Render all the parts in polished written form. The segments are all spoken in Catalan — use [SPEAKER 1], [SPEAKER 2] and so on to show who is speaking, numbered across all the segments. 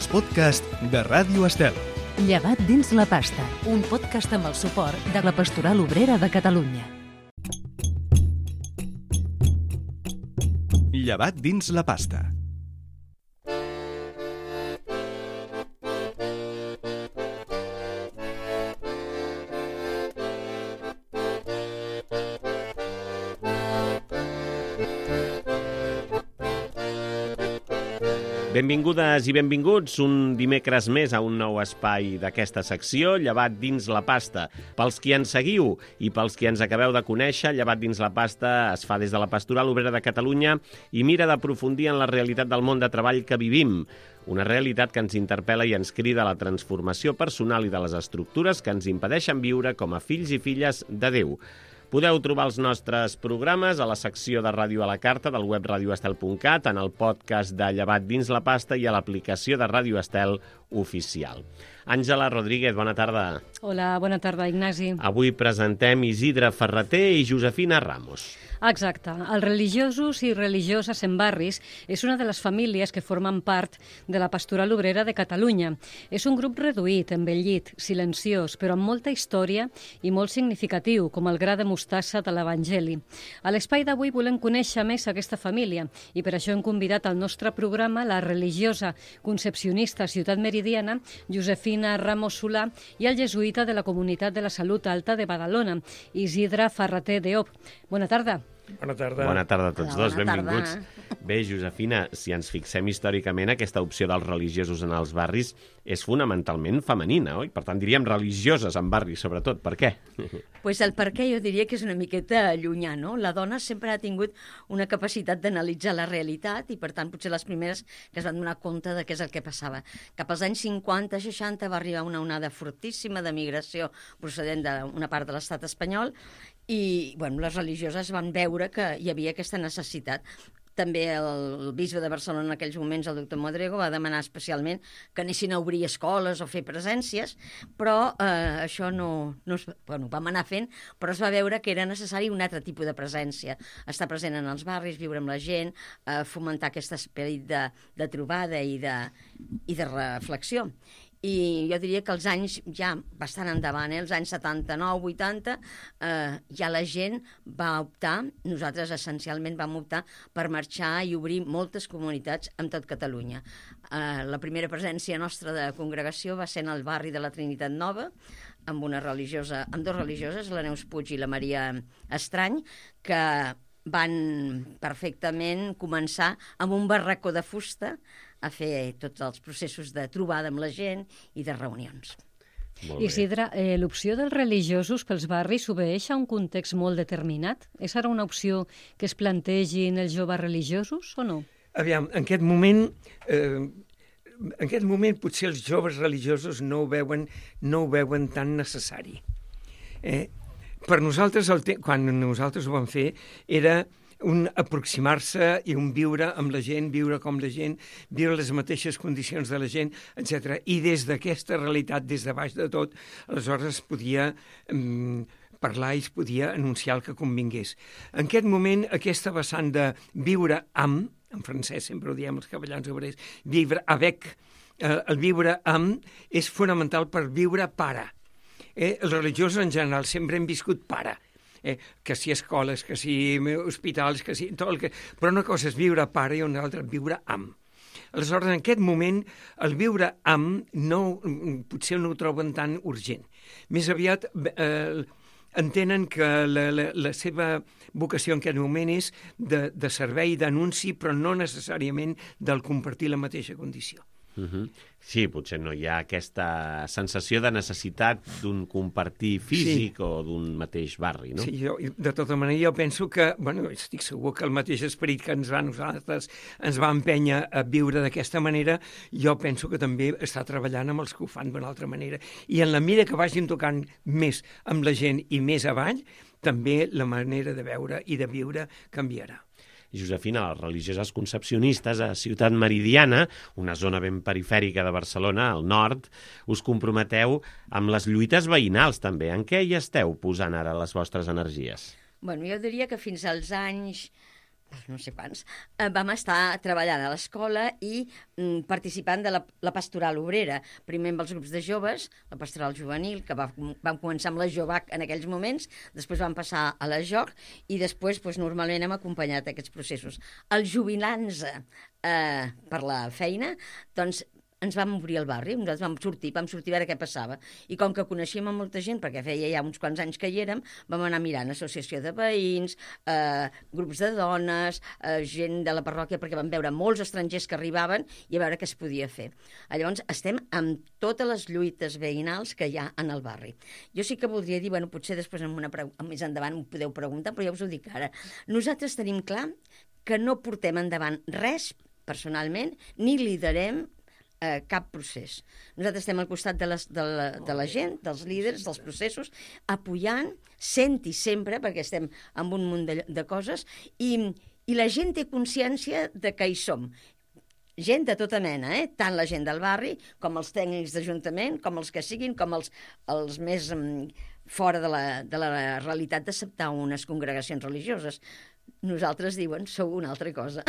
[SPEAKER 1] els podcasts de Ràdio Estel.
[SPEAKER 2] Llevat dins la pasta, un podcast amb el suport de la Pastoral Obrera de Catalunya.
[SPEAKER 1] Llevat dins la pasta.
[SPEAKER 3] Benvingudes i benvinguts un dimecres més a un nou espai d'aquesta secció, Llevat dins la pasta. Pels qui ens seguiu i pels qui ens acabeu de conèixer, Llevat dins la pasta es fa des de la Pastoral Obrera de Catalunya i mira d'aprofundir en la realitat del món de treball que vivim. Una realitat que ens interpel·la i ens crida a la transformació personal i de les estructures que ens impedeixen viure com a fills i filles de Déu. Podeu trobar els nostres programes a la secció de Ràdio a la Carta del web radioestel.cat, en el podcast de Llevat dins la pasta i a l'aplicació de Ràdio Estel oficial. Àngela Rodríguez, bona tarda.
[SPEAKER 4] Hola, bona tarda, Ignasi.
[SPEAKER 3] Avui presentem Isidre Ferreter i Josefina Ramos.
[SPEAKER 4] Exacte. Els religiosos i religioses en barris és una de les famílies que formen part de la Pastoral Obrera de Catalunya. És un grup reduït, envellit, silenciós, però amb molta història i molt significatiu, com el gra de mostassa de l'Evangeli. A l'espai d'avui volem conèixer més aquesta família i per això hem convidat al nostre programa la religiosa concepcionista Ciutat Meridiana, Josefina Ramos Solà, i el jesuïta de la Comunitat de la Salut Alta de Badalona, Isidre Ferreter Deop. Bona tarda.
[SPEAKER 5] Bona tarda.
[SPEAKER 3] Bona tarda a tots dos, benvinguts.
[SPEAKER 2] Tarda.
[SPEAKER 3] Bé, Josefina, si ens fixem històricament, aquesta opció dels religiosos en els barris és fonamentalment femenina, oi? Per tant, diríem religioses en barris, sobretot. Per què?
[SPEAKER 6] Pues el per què jo diria que és una miqueta llunyà, no? La dona sempre ha tingut una capacitat d'analitzar la realitat i, per tant, potser les primeres que es van donar compte de què és el que passava. Cap als anys 50-60 va arribar una onada fortíssima de migració procedent d'una part de l'estat espanyol i bueno, les religioses van veure que hi havia aquesta necessitat. També el bisbe de Barcelona en aquells moments, el doctor Modrego, va demanar especialment que anessin a obrir escoles o fer presències, però això vam anar fent, però es va veure que era necessari un altre tipus de presència. Estar present en els barris, viure amb la gent, fomentar aquest esperit de trobada i de reflexió. I jo diria que els anys ja bastant endavant, els anys 79-80, ja la gent va optar, nosaltres essencialment vam optar per marxar i obrir moltes comunitats en tot Catalunya. La primera presència nostra de congregació va ser en el barri de la Trinitat Nova, amb dos religioses, la Neus Puig i la Maria Estrany, que van perfectament començar amb un barracó de fusta a fer tots els processos de trobada amb la gent i de reunions.
[SPEAKER 4] Isidre, l'opció dels religiosos pels barris obeeix a un context molt determinat? És ara una opció que es plantegin els joves religiosos o no?
[SPEAKER 5] Aviam, en aquest moment potser els joves religiosos no ho veuen tan necessari. Per nosaltres, quan nosaltres ho vam fer, era un aproximar-se i un viure amb la gent, viure com la gent, viure les mateixes condicions de la gent, etc. I des d'aquesta realitat, des de baix de tot, aleshores es podia parlar i es podia anunciar el que convingués. En aquest moment, aquesta vessant de viure amb, en francès sempre ho diem els cavallans obrers, vivre avec, el viure amb és fonamental per viure para. Els religiosos en general sempre hem viscut para. Que si escoles, que si hospitals, que si tot el que... Però una cosa és viure a part i una altra viure amb. Aleshores, en aquest moment, el viure amb potser no ho troben tan urgent. Més aviat entenen que la seva vocació en aquest moment és de servei, d'anunci, però no necessàriament del compartir la mateixa condició.
[SPEAKER 3] Sí, potser no hi ha aquesta sensació de necessitat d'un compartir físic o d'un mateix barri, no?
[SPEAKER 5] Sí, de tota manera jo penso que, estic segur que el mateix esperit que nosaltres ens va empènyer a viure d'aquesta manera, jo penso que també està treballant amb els que ho fan d'una altra manera. I en la mida que vagin tocant més amb la gent i més avall, també la manera de veure i de viure canviarà.
[SPEAKER 3] Josefina, les religioses concepcionistes a Ciutat Meridiana, una zona ben perifèrica de Barcelona, al nord, us comprometeu amb les lluites veïnals també. En què hi esteu posant ara les vostres energies?
[SPEAKER 6] Jo diria que fins als anys no sé quants, vam estar treballant a l'escola i participant de la pastoral obrera. Primer amb els grups de joves, la pastoral juvenil, que vam començar amb la JOVAC en aquells moments, després vam passar a la JOC i després normalment hem acompanyat aquests processos. El jubilant-se per la feina, doncs ens vam obrir el barri, nosaltres vam sortir a veure què passava. I com que coneixíem a molta gent, perquè feia ja uns quants anys que hi érem, vam anar mirant associació de veïns, grups de dones, gent de la parròquia, perquè vam veure molts estrangers que arribaven i a veure què es podia fer. Llavors, estem amb totes les lluites veïnals que hi ha en el barri. Jo sí que voldria dir, potser després més endavant ho podeu preguntar, però ja us ho dic ara. Nosaltres tenim clar que no portem endavant res, personalment, ni liderem cap procés. Nosaltres estem al costat de la gent, dels líders, dels processos, apoyant, senti sempre, perquè estem amb un munt de coses, i la gent té consciència de que hi som. Gent de tota mena, tant la gent del barri, com els tècnics d'Ajuntament, com els que siguin, com els més fora de la realitat d'acceptar unes congregacions religioses. Nosaltres diuen, sou una altra cosa.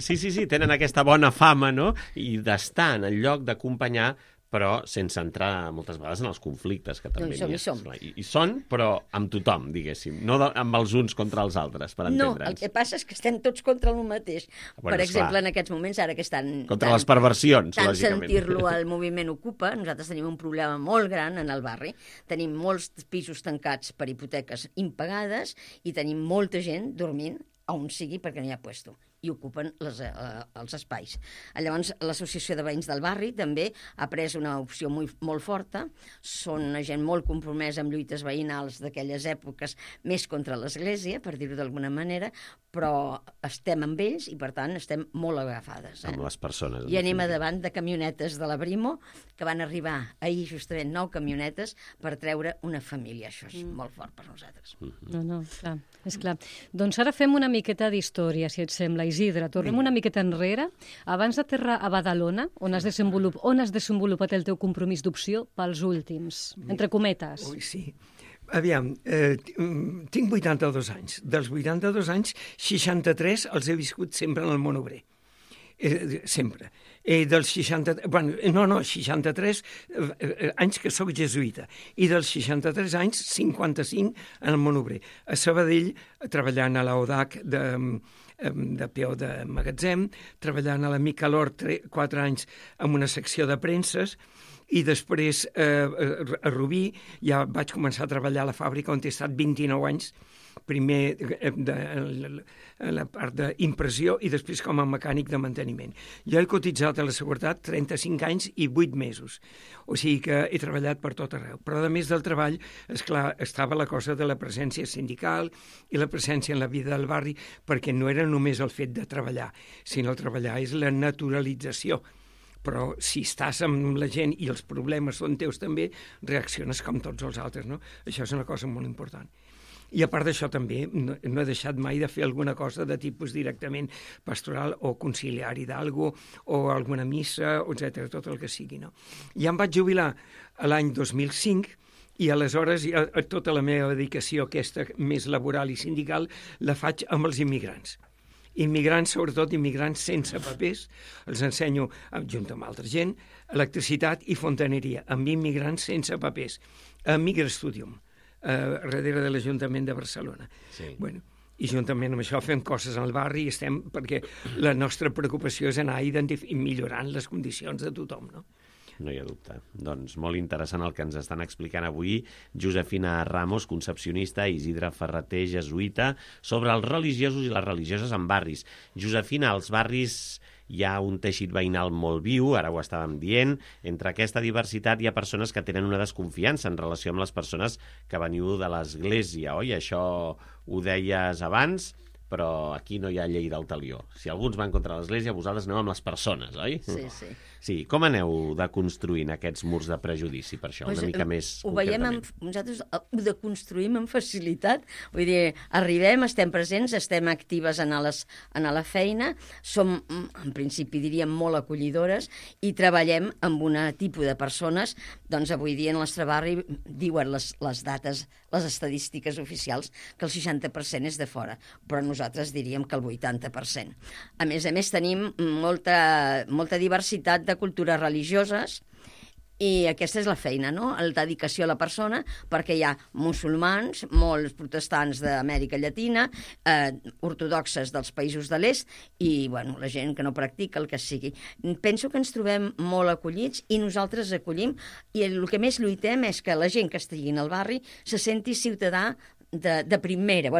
[SPEAKER 3] Sí, tenen aquesta bona fama, no? I d'estar en el lloc d'acompanyar, però sense entrar moltes vegades en els conflictes que també
[SPEAKER 6] hi som.
[SPEAKER 3] I són, però amb tothom, diguéssim, no amb els uns contra els altres, per entendre'ns.
[SPEAKER 6] No, el que passa és que estem tots contra el mateix. Per exemple, en aquests moments, ara que estan...
[SPEAKER 3] Contra les perversions, lògicament.
[SPEAKER 6] Tant sentir-lo al moviment Ocupa, nosaltres tenim un problema molt gran en el barri. Tenim molts pisos tancats per hipoteques impagades i tenim molta gent dormint on sigui perquè no hi ha puesto i ocupen els espais. Llavors, l'Associació de Veïns del Barri també ha pres una opció molt forta. Són una gent molt compromesa amb lluites veïnals d'aquelles èpoques, més contra l'Església, per dir-ho d'alguna manera, però estem amb ells i, per tant, estem molt agafades.
[SPEAKER 3] Amb les persones.
[SPEAKER 6] I anem a davant de camionetes de la Brimo, que van arribar ahir justament 9 camionetes per treure una família. Això és molt fort per nosaltres.
[SPEAKER 4] No, clar, és clar. Doncs ara fem una miqueta d'història, si et sembla, Isidre. Tornem una miqueta enrere. Abans d'aterrar a Badalona, on has desenvolupat el teu compromís d'opció pels últims, entre cometes.
[SPEAKER 5] Ui, sí. Aviam, tinc 82 anys. Dels 82 anys, 63 els he viscut sempre en el món obrer. Sempre. Dels 63 anys que sóc jesuïta i dels 63 anys, 55 en el món obrer. A Sabadell, treballant a l'ODAC de peó de magatzem, treballant a la Micalor 4 anys amb una secció de premses, i després a Rubí ja vaig començar a treballar a la fàbrica on he estat 29 anys, primer a la part d'impressió i després com a mecànic de manteniment. Jo he cotitzat a la Seguretat 35 anys i 8 mesos, o sigui que he treballat per tot arreu. Però a més del treball, esclar, estava la cosa de la presència sindical i la presència en la vida del barri, perquè no era només el fet de treballar, sinó el treballar és la naturalització. Però si estàs amb la gent i els problemes són teus també, reacciones com tots els altres, no? Això és una cosa molt important. I a part d'això també no he deixat mai de fer alguna cosa de tipus directament pastoral o conciliari d'algú o alguna missa, etc., tot el que sigui, no? Ja em vaig jubilar l'any 2005 i aleshores tota la meva dedicació aquesta més laboral i sindical la faig amb els immigrants. Immigrants, sobretot immigrants sense papers, els ensenyo, junt amb altra gent, electricitat i fontaneria, amb immigrants sense papers, a Migrastudium, darrere de l'Ajuntament de Barcelona.
[SPEAKER 3] Sí.
[SPEAKER 5] Bueno, i juntament amb això fem coses al barri i estem, perquè la nostra preocupació és anar millorant les condicions de tothom, no?
[SPEAKER 3] No hi ha dubte. Doncs molt interessant el que ens estan explicant avui Josefina Ramos, concepcionista, i Isidre Ferreter, jesuïta, sobre els religiosos i les religioses en barris. Josefina, als barris hi ha un teixit veïnal molt viu, ara ho estàvem dient. Entre aquesta diversitat hi ha persones que tenen una desconfiança en relació amb les persones que veniu de l'Església, oi? Això ho deies abans, però aquí no hi ha llei del talió. Si alguns van contra l'Església, vosaltres aneu amb les persones, oi?
[SPEAKER 6] Sí, sí.
[SPEAKER 3] Sí, com aneu deconstruint aquests murs de prejudici per això, una mica més concretament?
[SPEAKER 6] Nosaltres ho deconstruïm amb facilitat, vull dir, arribem, estem presents, estem actives a la feina, som, en principi diríem, molt acollidores i treballem amb un tipus de persones, doncs avui dia en el nostre barri diuen les dates, les estadístiques oficials, que el 60% és de fora, però nosaltres diríem que el 80%. A més, tenim molta diversitat de cultures religioses, i aquesta és la feina, no? La dedicació a la persona, perquè hi ha musulmans, molts protestants d'Amèrica Llatina, ortodoxes dels països de l'est, i bueno, la gent que no practica, el que sigui. Penso que ens trobem molt acollits i nosaltres acollim, i el que més lluitem és que la gent que estigui al barri se senti ciutadà de primera,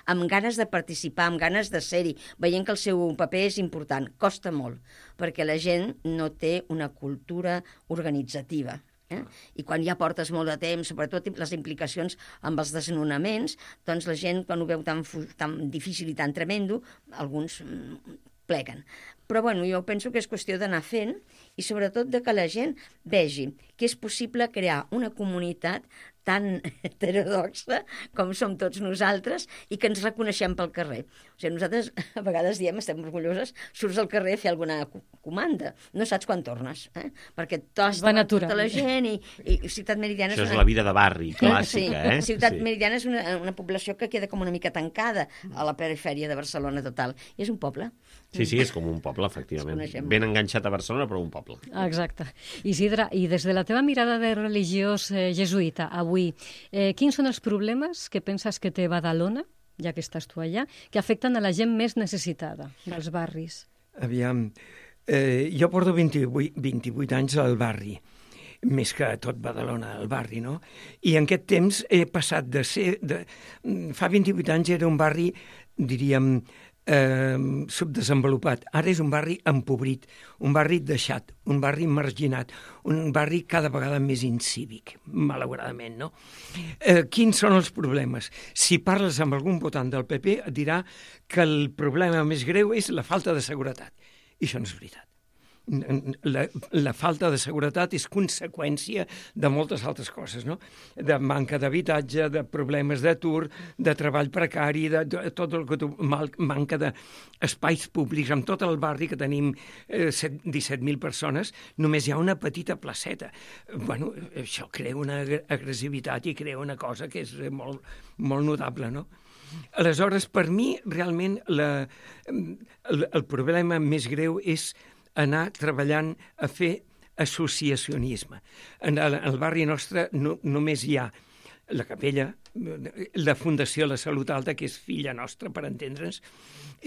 [SPEAKER 6] amb ganes de participar, amb ganes de ser-hi, veient que el seu paper és important. Costa molt, perquè la gent no té una cultura organitzativa. I quan ja portes molt de temps, sobretot les implicacions amb els desnonaments, doncs la gent, quan ho veu tan difícil i tan tremendo, alguns pleguen. Però bueno, jo penso que és qüestió d'anar fent i sobretot de que la gent vegi que és possible crear una comunitat tan heterodoxa com som tots nosaltres i que ens reconeixem pel carrer. O sigui, nosaltres a vegades diem, estem orgulloses, surts al carrer a fer alguna comanda. No saps quan tornes, perquè t'està tota la gent i Ciutat Meridiana...
[SPEAKER 3] Això és la vida de barri clàssica,
[SPEAKER 6] sí. Ciutat Meridiana és una població que queda com una mica tancada a la perifèria de Barcelona total. I és un poble.
[SPEAKER 3] Sí, és com un poble, efectivament. Ben enganxat a Barcelona, però un poble.
[SPEAKER 4] Exacte. Isidre, i des de la teva mirada de religiós jesuïta, avui, quins són els problemes que penses que té Badalona, ja que estàs tu allà, que afecten a la gent més necessitada dels barris?
[SPEAKER 5] Aviam, jo porto 28 anys al barri, més que tot Badalona, al barri, no? I en aquest temps he passat de ser... Fa 28 anys era un barri, diríem, subdesenvolupat. Ara és un barri empobrit, un barri deixat, un barri marginat, un barri cada vegada més incívic, malauradament, no? Quins són els problemes? Si parles amb algun votant del PP et dirà que el problema més greu és la falta de seguretat. I això no és veritat. La falta de seguretat és conseqüència de moltes altres coses, no? De manca d'habitatge, de problemes d'atur, de treball precari, de tot el que manca d'espais públics. En tot el barri, que tenim 17.000 persones, només hi ha una petita placeta. Bueno, això crea una agressivitat i crea una cosa que és molt, molt notable, no? Aleshores, per mi, realment, el problema més greu és anar treballant a fer associacionisme. En el barri nostre només hi ha la capella, la Fundació La Salut Alta, que és filla nostra, per entendre'ns,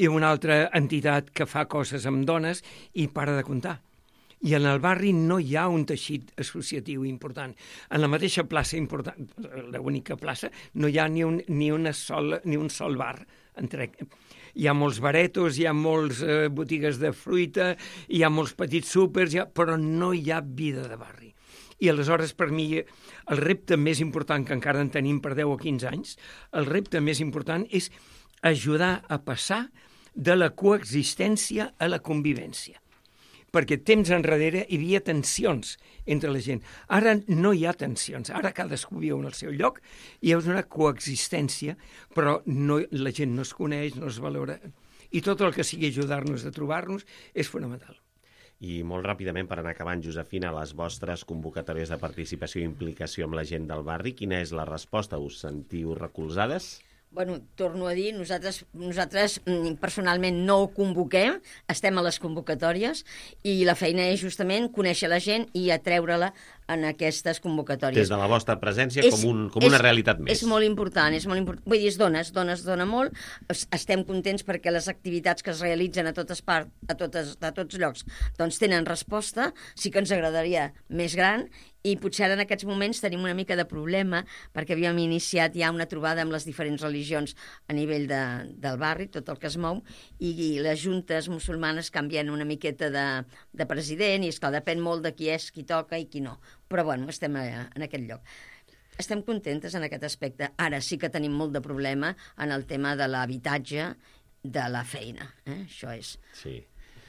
[SPEAKER 5] i una altra entitat que fa coses amb dones i para de comptar. I en el barri no hi ha un teixit associatiu important. En la mateixa plaça important, l'única plaça, no hi ha ni un sol bar. Hi ha molts baretos, hi ha molts botigues de fruita, hi ha molts petits súpers, però no hi ha vida de barri. I aleshores, per mi, el repte més important, que encara en tenim per 10 o 15 anys, el repte més important és ajudar a passar de la coexistència a la convivència. Perquè temps enrere hi havia tensions entre la gent. Ara no hi ha tensions, ara cadascú viu en el seu lloc i hi ha una coexistència, però la gent no es coneix, no es valora, i tot el que sigui ajudar-nos a trobar-nos és fonamental.
[SPEAKER 3] I molt ràpidament, per anar acabant, Josefina, les vostres convocatòries de participació i implicació amb la gent del barri, quina és la resposta? Us sentiu recolzades?
[SPEAKER 6] Bueno, torno a dir, nosaltres personalment no ho convoquem, estem a les convocatòries i la feina és justament conèixer la gent i atreure-la en aquestes convocatòries.
[SPEAKER 3] Des de la vostra presència com una realitat més.
[SPEAKER 6] És molt important, vull dir, es dona molt. Estem contents perquè les activitats que es realitzen a totes llocs doncs tenen resposta. Sí que ens agradaria més gran i potser ara en aquests moments tenim una mica de problema perquè havíem iniciat ja una trobada amb les diferents religions a nivell del barri, tot el que es mou, i les juntes musulmanes canvien una miqueta de president i esclar, depèn molt de qui és, qui toca i qui no. Però bueno, estem en aquest lloc. Estem contentes en aquest aspecte. Ara sí que tenim molt de problema en el tema de l'habitatge, de la feina. Això és.
[SPEAKER 3] Sí.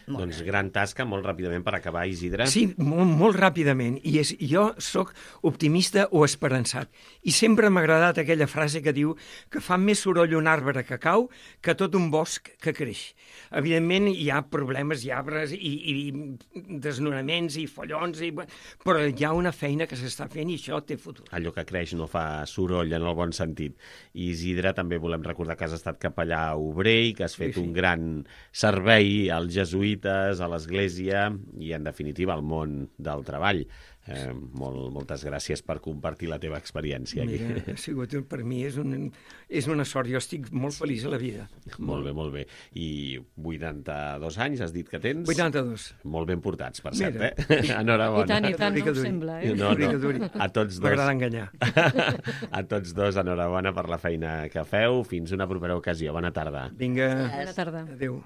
[SPEAKER 3] Doncs gran tasca, molt ràpidament per acabar, Isidre.
[SPEAKER 5] Sí, molt ràpidament. Jo sóc optimista o esperançat. I sempre m'ha agradat aquella frase que diu que fa més soroll un arbre que cau que tot un bosc que creix. Evidentment hi ha problemes i arbres i desnonaments i follons, però hi ha una feina que s'està fent i això té futur.
[SPEAKER 3] Allò que creix no fa soroll en el bon sentit. I Isidre, també volem recordar que has estat capellà obrer i que has fet un gran servei als jesuïtes, a l'Església i, en definitiva, al món del treball. Moltes gràcies per compartir la teva experiència aquí.
[SPEAKER 5] Mira, ha sigut, per mi és una sort. Jo estic molt feliç a la vida.
[SPEAKER 3] Molt bé, molt bé. I 82 anys, has dit que tens?
[SPEAKER 5] 82.
[SPEAKER 3] Molt ben portats, per cert, Enhorabona.
[SPEAKER 4] I tant, no em sembla,
[SPEAKER 3] No. A tots dos.
[SPEAKER 5] M'agrada enganyar.
[SPEAKER 3] A tots dos, enhorabona per la feina que feu. Fins una propera ocasió. Bona tarda.
[SPEAKER 5] Vinga.
[SPEAKER 4] Bona tarda.
[SPEAKER 5] Adéu.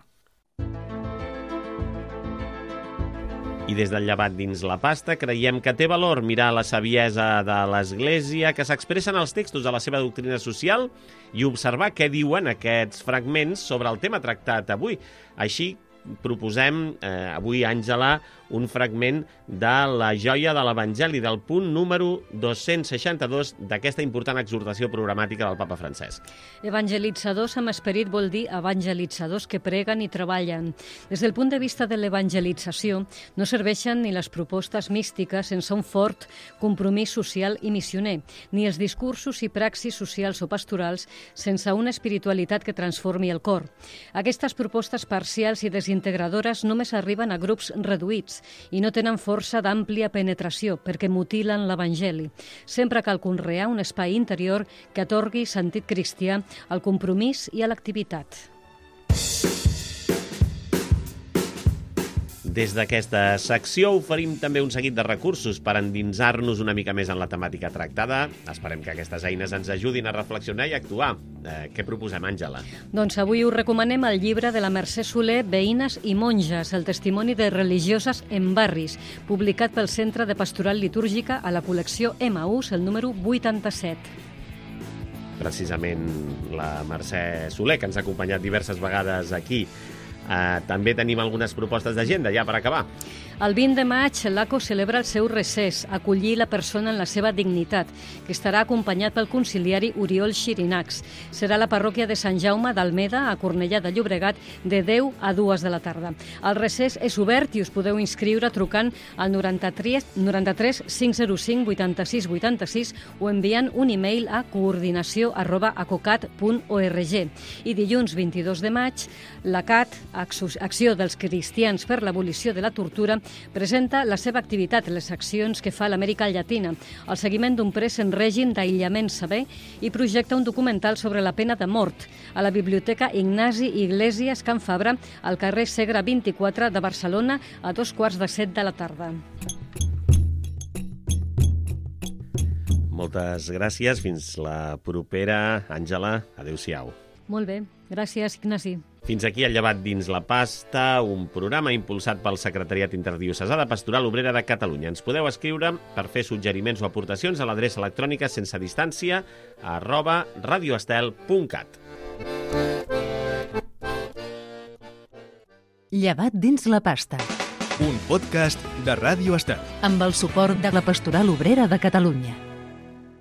[SPEAKER 3] I des del llevat dins la pasta creiem que té valor mirar la saviesa de l'Església que s'expressa en els textos de la seva doctrina social i observar què diuen aquests fragments sobre el tema tractat avui. Així proposem avui, Àngela, un fragment de la joia de l'Evangeli, del punt número 262 d'aquesta important exhortació programàtica del Papa Francesc.
[SPEAKER 4] Evangelitzadors amb esperit vol dir evangelitzadors que preguen i treballen. Des del punt de vista de l'evangelització, no serveixen ni les propostes místiques sense un fort compromís social i missioner, ni els discursos i praxis socials o pastorals sense una espiritualitat que transformi el cor. Aquestes propostes parcials i desintegradores només arriben a grups reduïts i no tenen força d'àmplia penetració perquè mutilen l'Evangeli. Sempre cal conrear un espai interior que atorgui sentit cristià al compromís i a l'activitat.
[SPEAKER 3] Des d'aquesta secció oferim també un seguit de recursos per endinsar-nos una mica més en la temàtica tractada. Esperem que aquestes eines ens ajudin a reflexionar i actuar. Què proposem, Àngela?
[SPEAKER 4] Doncs avui us recomanem el llibre de la Mercè Soler, Veïnes i monges, el testimoni de religioses en barris, publicat pel Centre de Pastoral Litúrgica a la col·lecció Emaús, el número 87.
[SPEAKER 3] Precisament la Mercè Soler, que ens ha acompanyat diverses vegades aquí. També tenim algunes propostes d'agenda, ja per acabar.
[SPEAKER 4] El 20 de maig, l'ACO celebra el seu recés, acollir la persona en la seva dignitat, que estarà acompanyat pel conciliari Oriol Xirinacs. Serà a la parròquia de Sant Jaume d'Almeda, a Cornellà de Llobregat, de 10 a 2 de la tarda. El recés és obert i us podeu inscriure trucant al 93 505 86 86 o enviant un e-mail a coordinació@acocat.org. I dilluns 22 de maig, la CAT, Acció dels Cristians per l'Abolició de la Tortura, presenta la seva activitat, les accions que fa l'Amèrica Llatina, el seguiment d'un pres en règim d'aïllament sever i projecta un documental sobre la pena de mort a la Biblioteca Ignasi Iglesias Can Fabra, al carrer Segre 24 de Barcelona, a 6:45 de la tarda.
[SPEAKER 3] Moltes gràcies. Fins la propera, Àngela. Adéu-siau.
[SPEAKER 4] Molt bé. Gràcies, Ignasi.
[SPEAKER 3] Fins aquí el llevat dins la pasta, un programa impulsat pel Secretariat Interdiocesà de Pastoral Obrera de Catalunya. Ens podeu escriure per fer suggeriments o aportacions a l'adreça electrònica sensedistància @radioestel.cat.
[SPEAKER 2] Llevat dins la pasta.
[SPEAKER 1] Un podcast de Ràdio Estel.
[SPEAKER 2] Amb el suport de la Pastoral Obrera de Catalunya.